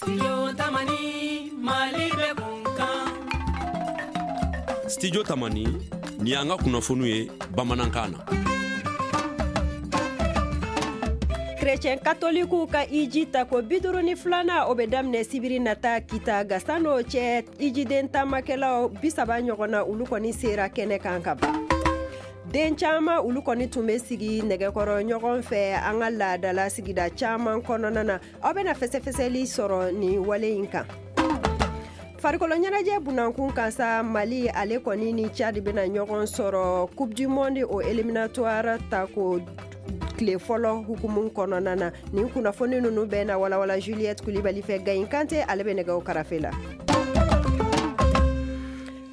Studio Tamani, Mali bɛ kun kan. Studio Tamani, nin y'an ka kunnafoniw ye bamanankan na. Chrétien katolikiw ka iji tako 52nan, o bɛ daminɛ sibiri nata Kita. Nka san'o cɛ, ijiden taamakɛlaw 30 ɲɔgɔn na, olu kɔni sera kɛnɛ kan ka ban. Den caman, olu kɔni tun bɛ sigi nɛgɛkɔrɔ ɲɔgɔn fɛ an ka laadala sigida caman kɔnɔna na. Aw bɛna fɛsɛfɛsɛli sɔrɔ nin wale in kan. Farikolo ɲɛnajɛ bunankun kan sa, Mali ale kɔni ni Tchad bɛna ɲɔgɔn sɔrɔ Coupe du monde o éliminatoire tako tile fɔlɔ hukumu kɔnɔna na. Nin kunnafoni ninnu bɛɛ na walawala Juliette Kulibali fɛ. Gayin Kante, ale bɛ nɛgɛw karafe la.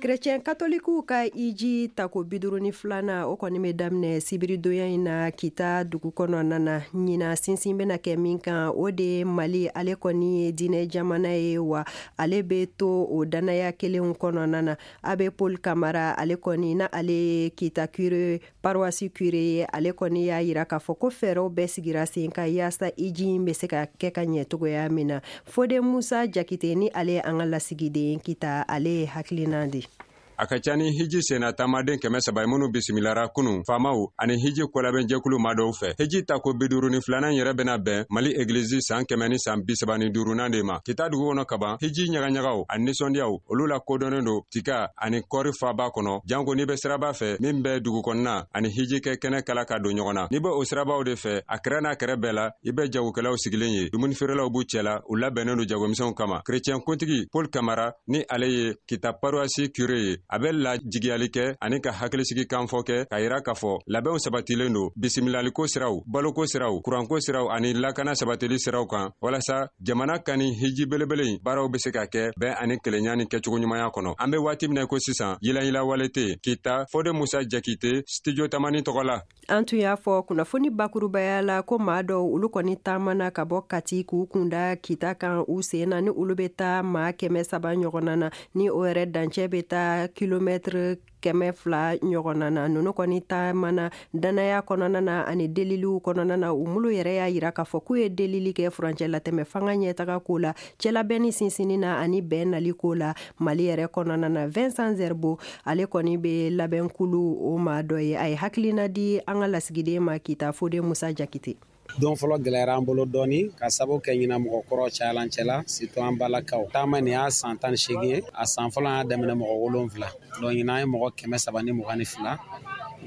Chrétien katolikiw ka iji tako 52nan, o kɔni bɛ daminɛ sibiridonya in na Kita dugu kɔnɔna na. Ɲinan, sinsin bɛna kɛ min kan, o de ye Mali ale kɔni ye diinɛ jamana ye, wa ale bɛ to o dannaya kelenw kɔnɔna na. Abbé Paul Kamara, ale kɔni na ale ye Kita curé, paroisse curé ye, ale kɔni y'a yira k'a fɔ ko fɛɛrɛw bɛɛ sigira sen kan yaasa iji in bɛ se ka kɛ ka ɲɛ cogoya min na. Fode Musa Jakite ni ale ye an ka lasigiden Kita, ale ye hakilina di. A ka ca ni hiji senna taamaden 300 ye minnu bisimilara kunu faamaw ani hiji kolabɛnjɛkulu ma dɔw fɛ. Hiji tako 52nan yɛrɛ bɛna bɛn Mali egilizi san 135nan de ma Kita dugu kɔnɔ kaban. Hiji ɲagaɲagaw ani nisɔndiyaw, olu la kodɔnnen don tika ani kɔɔri faba kɔnɔ, janko n'i bɛ siraba fɛ min bɛ dugu kɔnɔna ani hiji kɛ kɛnɛ kala ka don ɲɔgɔn na. N'i bɛ o sirabaw de fɛ, a kɛrɛ n'a kɛrɛ bɛɛ la, i bɛ jagokɛlaw sigilen ye, dumunifeerelaw b'u cɛla, u labɛnnen don jagomisɛnw kama. Kerecɛn kuntigi Paul Kamara ni ale ye Kita paroisse curé ye, a bɛ lajigiyali kɛ ani ka hakilisigi kanfɔ kɛ k'a yira k'a fɔ labɛnw sabatilen don bisimilaliko siraw, baloko siraw, kuranko siraw ani lakana sabatili siraw kan, walasa jamana ka ni hiji belebele in baaraw bɛ se ka kɛ bɛn ani kelenya ni kɛcogo ɲumanya kɔnɔ. An bɛ waati min na ko sisan, yilayila wale tɛ yen Kita. Fode Musa Jakite, Studio Tamani tɔgɔ la. An tun y'a fɔ kunnafoni bakurubaya la ko maa dɔw, olu kɔni taamana ka bɔ Kati k'u kunda Kita kan u sen na, ni olu bɛ taa maa 300 ɲɔgɔnna na, ni o yɛrɛ dancɛ bɛ taa kilomɛtiri 200 ɲɔgɔnna na. Ninnu kɔni taamana dannaya kɔnɔna na ani deliliw kɔnɔna na. U minnu yɛrɛ y'a yira k'a fɔ k'u ye delili kɛ furancɛ latɛmɛ fanga ɲɛtaga ko la, cɛlabɛnni sinsinni na ani bɛn nali ko la Mali yɛrɛ kɔnɔna na. Vincent Zerbo, ale kɔni bɛ labɛnkulu o maa dɔ ye, a ye hakilina di an ka lasigiden ma Kita, Fode Musa Jakite. Don fɔlɔ gɛlɛyara an bolo dɔɔni ka sababu kɛ ɲina mɔgɔ kɔrɔ cayalan cɛla, surtout an balakaw. Taama nin y'a san 18 ye. A san fɔlɔ, an y'a daminɛ mɔgɔ 7, donc ɲinan an ye mɔgɔ 322.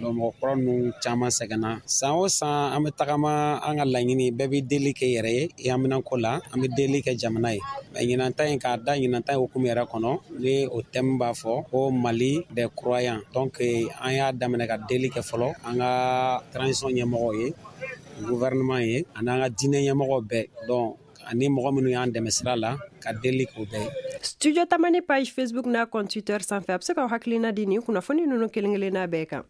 Donc mɔgɔ kɔrɔ ninnu caman sɛgɛnna. San o san an bɛ tagama, an ka laɲini bɛɛ bɛ deli kɛ yɛrɛ ye i haminanko la, an bɛ deli kɛ jamana ye. Mais ɲinan ta in, k'a da ɲinan ta in hukumu yɛrɛ kɔnɔ, ni o thème b'a fɔ ko Mali des croyants, donc an y'a daminɛ ka deli kɛ fɔlɔ an ka transition ɲɛmɔgɔw ye, gouvernement ye, ani an ka diinɛ ɲɛmɔgɔw bɛɛ, donc ani mɔgɔ minnu y'an dɛmɛ sira la, ka deli k'o bɛɛ ye. Studio Tamani page Facebook n'a compte Twitter sanfɛ, a bɛ se k'aw hakilina di nin kunnafoni ninnu kelen kelenna bɛɛ kan.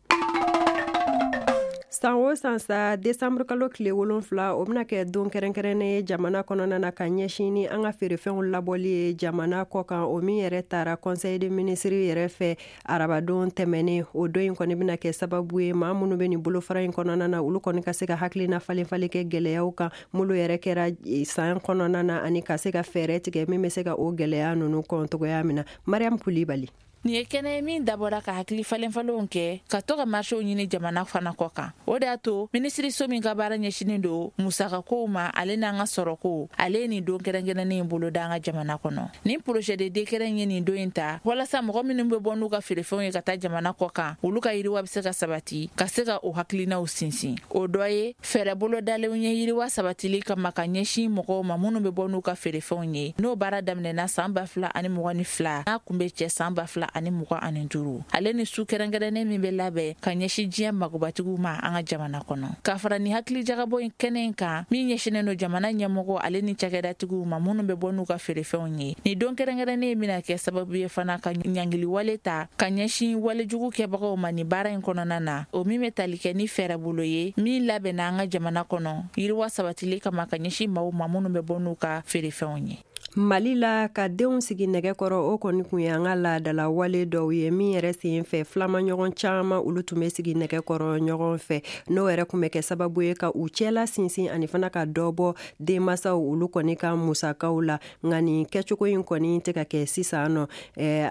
San o san sa, desanburu kalo tile 7, o bɛna kɛ don kɛrɛnkɛrɛnnen ye jamana kɔnɔna na ka ɲɛsin ni an ka feerefɛnw labɔli ye jamana kɔ kan, o min yɛrɛ taara conseil de ministre yɛrɛ fɛ arabadon tɛmɛnen. O don in kɔni bɛna kɛ sababu ye, maa minnu bɛ nin bolofara in kɔnɔna na, olu kɔni ka se ka hakilina falen falen kɛ gɛlɛyaw kan minnu yɛrɛ kɛra san kɔnɔna na, ani ka se ka fɛɛrɛ tigɛ min bɛ se ka o gɛlɛya ninnu kɔn cogoya min na. Mariam Kulibali. Nin ye kɛnɛ ye min dabɔra ka hakili falenfalenw kɛ, ka to ka marchew ɲini jamana fana kɔ kan. O de y'a to minisiriso min ka baara ɲɛsinin don musakakow ma, ale n'an ka sɔrɔko, ale ye nin don kɛrɛnkɛrɛnnen in boloda an ka jamana kɔnɔ. Nin projet de décret ye nin don in ta walasa mɔgɔ minnu bɛ bɔ n'u ka feerefɛnw ye ka taa jamana kɔ kan, olu ka yiriwa bɛ se ka sabati, ka se ka o hakilinaw sinsin. O dɔ ye fɛɛrɛ bolodalenw ye yiriwa sabatili kama ka ɲɛsin mɔgɔw ma minnu bɛ bɔ n'u ka feerefɛnw ye. N'o baara daminɛna san 2022, n'a kun bɛ cɛ san 2025, ale ni su kɛrɛnkɛrɛnnen min bɛ labɛn ka ɲɛsin diɲɛ magobatigiw ma an ka jamana kɔnɔ. Ka fara ni hakilijagabɔ in kɛnɛ in kan min ɲɛsinnen don jamana ɲɛmɔgɔ ale ni cakɛdatigiw ma minnu bɛ bɔ n'u ka feerefɛnw ye, nin don kɛrɛnkɛrɛnnen bɛna kɛ sababu ye fana ka ɲangiliwale ta ka ɲɛsin walejugu kɛbagaw ma nin baara in kɔnɔna na, o min bɛ tali kɛ ni fɛɛrɛ bolo ye min labɛnna an ka jamana kɔnɔ yiriwa sabatili kama ka ɲɛsin maaw ma minnu bɛ bɔ n'u ka feerefɛnw ye. Mali la, ka denw sigi nɛgɛ kɔrɔ, o kɔni kun ye an ka laadala wale dɔw ye min yɛrɛ sen fɛ, filamaɲɔgɔn caman olu tun bɛ sigi nɛgɛ kɔrɔ ɲɔgɔn fɛ. N'o yɛrɛ kun bɛ kɛ sababu ye ka u cɛla sinsin ani fana ka dɔ bɔ denmasaw olu kɔni ka musakaw la. Nka nin kɛcogo in kɔni tɛ ka kɛ sisan nɔ.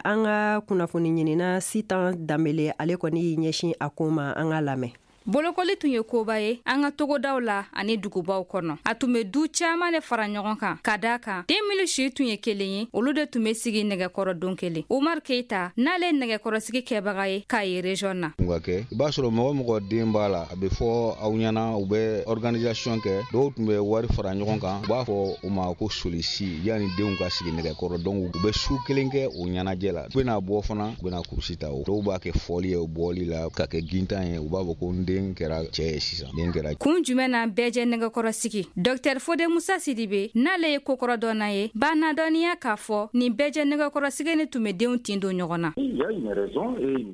An ka kunnafoni ɲinina Sitan Danbele, ale kɔni y'i ɲɛsin a ko ma. An ka lamɛn. Bolokoli tun ye koba ye an ka togodaw la ani dugubaw kɔnɔ. A tun bɛ du caaman de fara ɲɔgɔn kan, ka daa kan den minnu si tun ye kelen ye, olu de tun bɛ sigi nɛgɛkɔrɔ don kelen. Umar Keita n'ale ye nɛgɛkɔrɔsigi kɛbaga ye Kayi région na. Ka kɛ, i b'a sɔrɔ mɔgɔ mɔgɔ den b'a la, a bɛ fɔ aw ɲɛna, u bɛ organisation kɛ. Dɔw tun bɛ wari fara ɲɔgɔn kan, u b'a fɔ o ma ko solisi, yanni denw ka sigi nɛgɛkɔrɔ. Donc u bɛ su kelen kɛ o ɲɛnajɛ la, u bɛna bɔ fana, u bɛna kurusi ta. Dɔw b'a kɛ fɔli ye bɔli la, ka kɛ gintan ye, u b'a fɔ ko n den kɛra cɛ ye sisan, den kɛra. Kun jumɛn na bɛɛ jɛ nɛgɛkɔrɔ sigi? Dr Fode Musa Sidibe n'ale ye kokɔrɔ dɔnna ye, b'a nadɔnniya k'a fɔ nin bɛɛ jɛ nɛgɛkɔrɔ sigi ni tun bɛ denw tin don ɲɔgɔn na.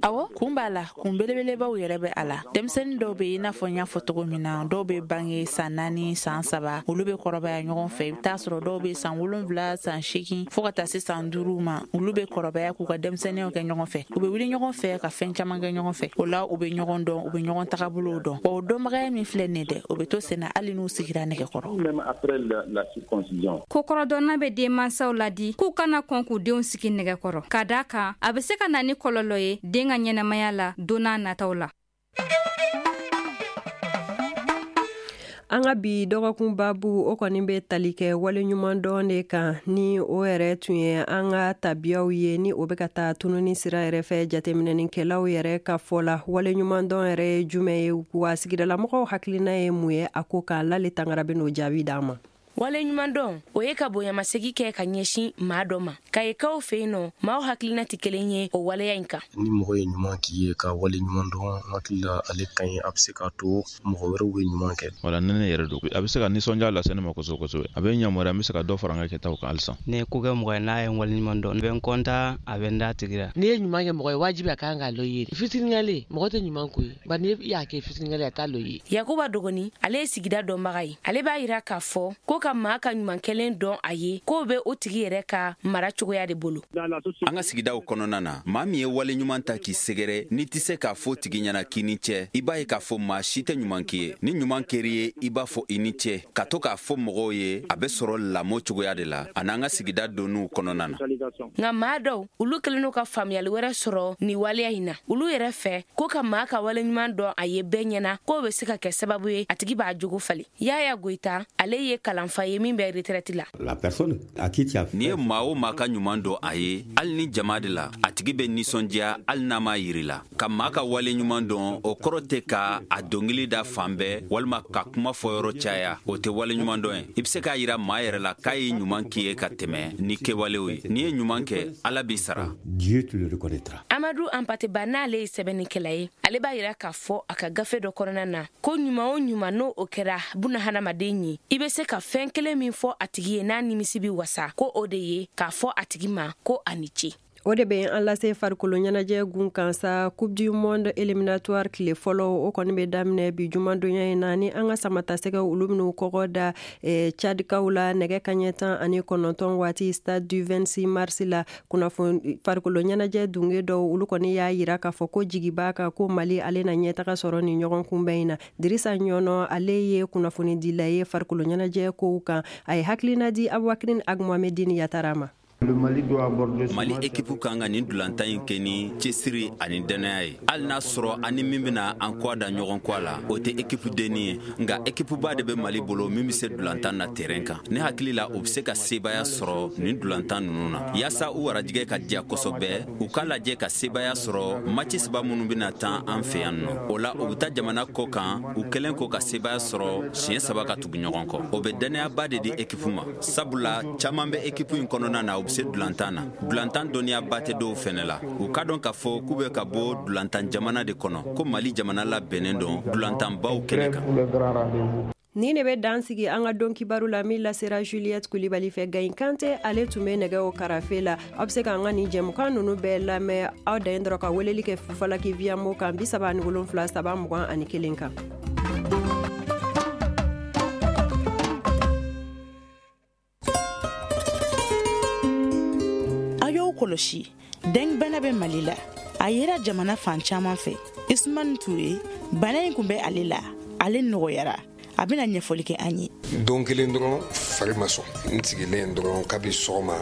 Awɔ, kun b'a la, kun belebelebaw yɛrɛ bɛ a la. Denmisɛnnin dɔw bɛ, i n'a fɔ n y'a fɔ cogo min na, dɔw bɛ bange san 4, san 3, olu bɛ kɔrɔbaya ɲɔgɔn fɛ. I bɛ taa sɔrɔ dɔw bɛ san 7, san 8, fo ka taa se san 5 ma, olu bɛ kɔrɔbaya k'u ka denmisɛnninyaw kɛ ɲɔgɔn fɛ. U bɛ wuli ɲɔgɔn fɛ ka fɛn caman kɛ ɲɔgɔn fɛ. O la u bɛ ɲɔgɔn dɔn, u bɛ ɲɔgɔn tagabolow dɔn. Wa o dɔnbagaya min filɛ nin dɛ, o bɛ to senna hali n'u sigira nɛgɛkɔrɔ. Kokɔrɔdɔnna bɛ denmansaw ladi k'u kana kɔn k'u denw sigi nɛgɛkɔrɔ, ka d'a kan a bɛ se ka na ni kɔlɔlɔ ye den ka ɲɛnamaya la don n'a nataw la. An ka bi dɔgɔkun babu, o kɔni bɛ tali kɛ waleɲumandɔn de kan, ni o yɛrɛ tun ye an ka tabiyaw ye, ni o bɛ ka taa tununi sira yɛrɛ fɛ. Jateminɛnikɛlaw yɛrɛ ka fɔ la, waleɲumandɔn yɛrɛ ye jumɛn ye, wa sigidalamɔgɔw hakilina ye mun ye a ko kan? Lale Tangara bɛ n'o jaabi d'an ma. Waleɲumandɔn, o ye ka bonyamasegi kɛ ka ɲɛsin maa dɔ ma. Kayikaw fɛ yen nɔ, maaw hakilina tɛ kelen ye o waleya in kan. Ni mɔgɔ ye ɲuman k'i ye, ka waleɲuman dɔn, hakili la ale ka ɲi, a bɛ se k'a to mɔgɔ wɛrɛw bɛ ɲuman kɛ. Wala ni ne yɛrɛ don, a bɛ se ka nisɔndiya lase ne ma kosɛbɛ kosɛbɛ. A bɛ n yamaruya, n bɛ se ka dɔ fara n ka kɛtaw kan halisa. Ne ye ko kɛ mɔgɔ ye n'a ye n waleɲuman dɔn, n bɛ n kɔntan, a bɛ n da tigi la. N'i ye ɲuman kɛ mɔgɔ ye, wajibi a kan k'a lɔ i ye. Fitirinkale, mɔgɔ tɛ ɲuman ko ye, bari n'i y'a kɛ fitirinkale, a t'a lɔ i ye. Yakuba Dogoni, ale ye sigida dɔnbaga ye. Ale b'a yira k'a fɔ ko ka maa ka ɲuman kɛlen dɔn a ye, k'o bɛ o tigi yɛrɛ ka mara cogoya de bolo. An ka sigidaw kɔnɔna na, maa min ye wale ɲuman ta k'i sɛgɛrɛ, n'i tɛ se k'a fɔ tigi ɲɛna k'i ni cɛ, i b'a ye k'a fɔ maa si tɛ ɲuman k'i ye. Ni ɲuman kɛr'i ye, i b'a fɔ i ni cɛ. Ka to k'a fɔ mɔgɔw ye, a bɛ sɔrɔ lamɔ cogoya de la ani an ka sigida donniw kɔnɔna na. Nka maa dɔw, olu kɛlen don ka faamuyali wɛrɛ sɔrɔ nin waleya in na. Olu yɛrɛ fɛ ko ka maa ka wale ɲuman dɔn a ye bɛɛ ɲɛna, k'o bɛ se ka kɛ sababu ye a tigi b'a jogo falen. Yaya Goyita, ale ye kalanfa ye min bɛ retraite la. N'i ye maa o maa ka ɲuman dɔn a ye, hali ni jama de la, a tigi bɛ nisɔndiya hali n'a m'a yiri la. Ka maa ka wale ɲuman dɔn, o kɔrɔ tɛ ka a dɔnkili da fan bɛɛ walima ka kuma fɔyɔrɔ caya, o tɛ wale ɲuman dɔn ye. I bɛ se k'a yira maa yɛrɛ la k'a ye ɲuman k'i ye ka tɛmɛ ni kɛwalew ye. N'i ye ɲuman kɛ, Ala b'i sara. Amadu Anpateba n'ale ye sɛbɛnnikɛla ye, ale b'a yira k'a fɔ a ka gafe dɔ kɔnɔna na ko ɲuman o ɲuman n'o o kɛra buna hadamaden ye, i bɛ se ka fɛn kelen min fɔ a tigi ye n'a nimisi bɛ wasa, ko o de ye k'a fɔ a tigi ma ko a ni ce. O de bɛ an lase farikolo ɲɛnajɛ gun kan sa. Coupe du monde éliminatoire tile fɔlɔ, o kɔni bɛ daminɛ bi jumadonya in na, ni an ka samatasɛgɛw olu bɛn'u kɔgɔ da Tchadikaw la nɛgɛ kaɲɛ 19 waati, stade du 26 mars la. Kunnafoni farikolo ɲɛnajɛ dunge dɔw olu kɔni y'a yira k'a fɔ ko jigi b'a kan ko Mali ale na ɲɛtaga sɔrɔ nin ɲɔgɔn kunbɛn in na. Dirisa Ɲɔnɔ, ale ye kunnafonidila ye farikolo ɲɛnajɛ kow kan, a ye hakilina di Abubakrin Agmohamedine Yatara ma. Mali ekipu kan ka nin dulantan in kɛ ni cɛsiri ani dannaya ye, hali n'a sɔrɔ an ni min bɛna an kɔ da ɲɔgɔn kɔ la, o tɛ ekipu denni ye. Nka ekipuba de bɛ Mali bolo min bɛ se dulantan na terrain kan. Ne hakili la, u bɛ se ka sebaaya sɔrɔ nin dulantan ninnu na. Yaasa u warajɛgɛ ka diya kosɛbɛ, u k'a lajɛ ka sebaaya sɔrɔ match 3 minnu bɛna tan an fɛ yan nɔ. O la u bɛ taa jamana kɔ kan, u kɛlen kɔ ka sebaaya sɔrɔ siɲɛ 3 ka tugu ɲɔgɔn kɔ. O bɛ dannayaba de di ekipu ma, sabula caman bɛ ekipu in kɔnɔna na, u bɛ se dulantan na. Dulantan dɔnniyaba tɛ dɔw fɛnɛ la. U ka dɔn k'a fɔ k'u bɛ ka bɔ dulantan jamana de kɔnɔ, ko Mali jamana labɛnnen don dulantanbaw kɛnɛ kan. Ni ne bɛ dan sigi an ka don kibaru la min lasera Juliette Kulibali fɛ. Gayin Kante, ale tun bɛ nɛgɛw karafe la. Aw bɛ se k'an ka nin jɛmukan ninnu bɛɛ lamɛn, aw dan dɔrɔn ka weleli kɛ Fufalaki Viyamo kan 37 3 21 kan. kɔlɔsi, dengue bana bɛ Mali la. A yera jamana fan caman fɛ. Isumani Ture, bana in kun bɛ ale la, ale nɔgɔyara. A bɛna ɲɛfɔli kɛ an ye. Don kelen dɔrɔn fari ma sɔn, n sigilen dɔrɔn kabi sɔgɔma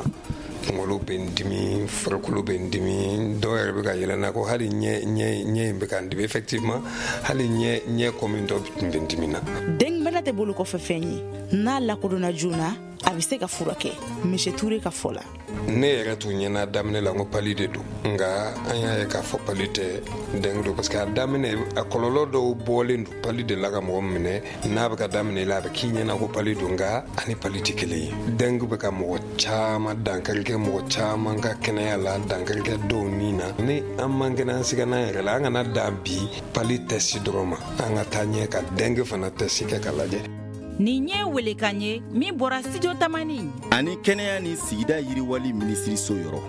kunkolo bɛ n dimi, farikolo bɛ n dimi, dɔw yɛrɛ bɛ ka yɛlɛ n na ko hali ɲɛ in bɛ ka n dimi. Effectivement, hali ɲɛ kɔmi dɔ tun bɛ n dimi na. Dengue bana tɛ bolo kɔfɛ fɛn ye, n'a lakodɔnna joona a bɛ se ka furakɛ. Monsieur Ture ka fɔ la. Ne yɛrɛ tun ɲɛna daminɛ la n ko pali de don, nka an y'a ye k'a fɔ pali tɛ, dengue don, parce que a daminɛ a kɔlɔlɔ dɔw bɔlen don pali de la ka mɔgɔ minɛ. N'a bɛ ka daminɛ la a bɛ k'i ɲɛna ko pali don, nka ani pali tɛ kelen ye. Dengue bɛ ka mɔgɔ caman dankari kɛ, mɔgɔ caman ka kɛnɛya la, dankari kɛ dɔw ni na. Ni an man kɛnɛ, an siga n'an yɛrɛ la, an kana dan bi pali tɛsi dɔrɔn ma, an ka taa ɲɛ ka dengue fana tɛsi kɛ ka lajɛ. Nin ye welekan ye min bɔra Studio Tamani ani kɛnɛya ni sigida yiriwali minisiriso yɔrɔ.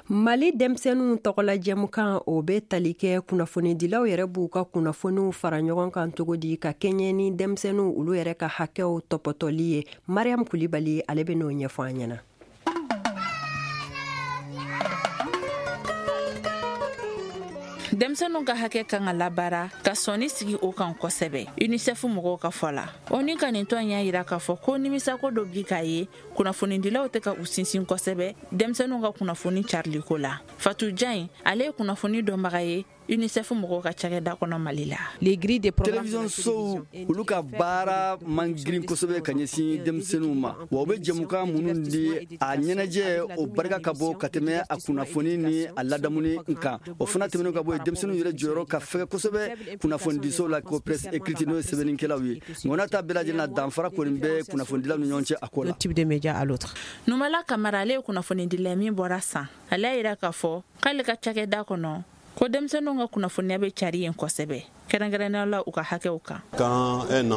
Mali denmisɛnninw tɔgɔla jɛmukan, o bɛ tali kɛ kunnafonidilaw yɛrɛ b'u ka kunnafoniw fara ɲɔgɔn kan cogo di ka kɛɲɛ ni denmisɛnninw olu yɛrɛ ka hakɛw tɔpɔtɔli ye. Mariam Kulibali, ale bɛ n'o ɲɛfɔ an ɲɛna. Denmisɛnninw ka hakɛ kan ka labaara ka sɔnni sigi o kan kosɛbɛ, UNICEF mɔgɔw ka fɔ la. O ni ka nin tɔn y'a yira k'a fɔ ko nimisako dɔ bi k'a ye kunnafonidilaw tɛ ka u sinsin kosɛbɛ denmisɛnninw ka kunnafoni cariliko la. Fatou Diagne, ale ye kunnafoni dɔnbaga ye UNICEF mɔgɔw ka cakɛda kɔnɔ Mali la. Télévision sow olu ka baara man girin kosɛbɛ ka ɲɛsin denmisɛnninw ma, wa u bɛ jɛmukan minnu di a ɲɛnajɛ o barika ka bɔ ka tɛmɛ a kunnafoni ni a ladamuni kan. O fana tɛmɛnen ka bɔ yen, denmisɛnninw yɛrɛ jɔyɔrɔ ka fɛgɛ kosɛbɛ kunnafonidisow la ko presse écrite, n'o ye sɛbɛnnikɛlaw ye. Nka n'a ta bɛɛ lajɛlen na, danfara kɔni bɛ kunnafonidilaw ni ɲɔgɔn cɛ a ko la. Numala Kamara, ale ye kunnafonidila min bɔra San. Ale y'a yira k'a fɔ k'ale ka cakɛda kɔnɔ ko denmisɛnninw ka kunnafoniya bɛ cari yen kosɛbɛ, kɛrɛnkɛrɛnnenya la u ka hakɛw kan.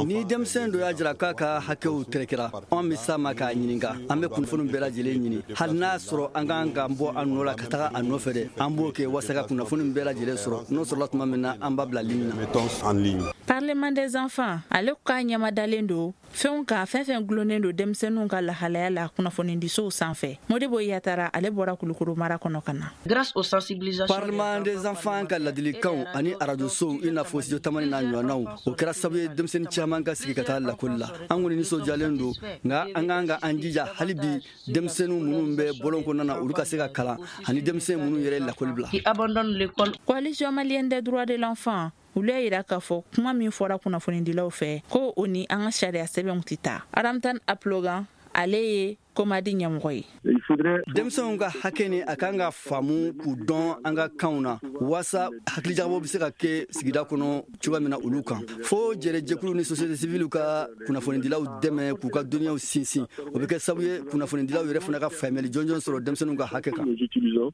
Ni denmisɛn dɔ y'a jira k'a ka hakɛw tɛrɛkɛra, anw bɛ s'a ma k'a ɲininka. An bɛ kunnafoniw bɛɛ lajɛlen ɲini, hali n'a sɔrɔ an kan ka bɔ a nɔ la ka taga a nɔfɛ dɛ, an b'o kɛ walasa ka kunnafoni bɛɛ lajɛlen sɔrɔ. N'o sɔrɔla tuma min na, an b'a bila ligne na. Parlement des enfants, ale k'a ɲɛmadalen don fɛnw kan, fɛn fɛn gulonnen don denmisɛnninw ka lahalaya la kunnafonidisow sanfɛ. Modibo Yatara, ale bɔra Kulukoro mara kɔnɔ ka na. Parlement des enfants ka ladilikanw ani arajosow i n'a fɔ Studio Tamani n'a ɲɔgɔnnaw, o kɛra sababu ye denmisɛnnin caman ka sigi ka taa lakɔli la. An kɔni nisɔndiyalen don, nka an kan ka an jija hali bi denmisɛnninw minnu bɛ bɔlɔn kɔnɔna na, olu ka se ka kalan, ani denmisɛn minnu yɛrɛ ye lakɔli bila. Coalition malienne des droits de l'enfant, olu y'a yira k'a fɔ kuma min fɔra kunnafonidilaw fɛ ko o ni an ka sariya sɛbɛnw tɛ taa. Aramtan Aplogan, ale ye Komadi ɲɛmɔgɔ ye. Denmisɛnw ka hakɛ ni a kan ka faamu k'u dɔn an ka kanw na, waasa hakilijagabɔ bɛ se ka kɛ sigida kɔnɔ cogoya min na olu kan. Fo jɛrɛjɛkulu ni société civile ka kunnafonidilaw dɛmɛ k'u ka dɔnniyaw sinsin, o bɛ kɛ sababu ye kunnafonidilaw yɛrɛ fana ka faamuyali jɔnjɔn sɔrɔ denmisɛnninw ka hakɛ kan.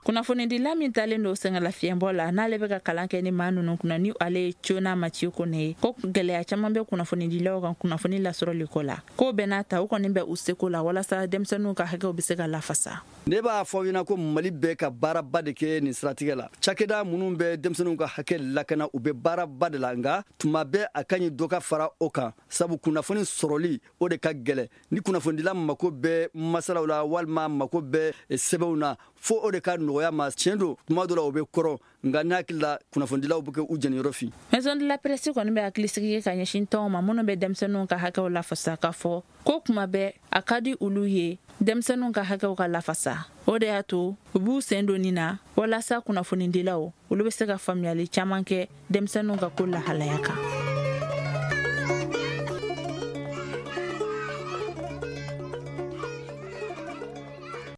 Kunnafonidila min talen don sɛgɛnlafiɲɛbɔ la, n'ale bɛ ka kalan kɛ ni maa ninnu kunna, ni ale ye Cona Mathieu Kone ye, ko gɛlɛya caman bɛ kunnafonidilaw kan kunnafoni lasɔrɔli ko la. K'o bɛɛ n'a ta, u kɔni bɛ u seko la walasa denmisɛnninw ka hakɛw bɛ se ka lafasa. Ne b'a fɔ ɲɛna ko Mali bɛ ka baaraba de kɛ nin siratigɛ la. Cakɛda minnu bɛ denmisɛnninw ka hakɛ lakana, u bɛ baaraba de la, nka tuma bɛɛ a ka ɲi dɔ ka fara o kan, sabu kunnafoni sɔrɔli o de ka gɛlɛn. Ni kunnafonidila mako bɛ masalaw la walima mako bɛ sɛbɛnw na, fo o de ka nɔgɔya ma. Tiɲɛ don, tuma dɔ la o bɛ kɔrɔ, nka ne hakili la kunnafonidilaw bɛ kɛ u jɛniyɔrɔ fin. Maison de la presse kɔni bɛ hakilisigi kɛ ka ɲɛsin tɔnw ma minnu bɛ denmisɛnninw ka hakɛw lafasa, k'a fɔ ko kuma bɛɛ a ka di olu ye denmisɛnninw ka hakɛw ka lafasa. O de y'a to u b'u sen don nin na walasa kunnafonidilaw olu bɛ se ka faamuyali caman kɛ denmisɛnninw ka ko lahalaya kan.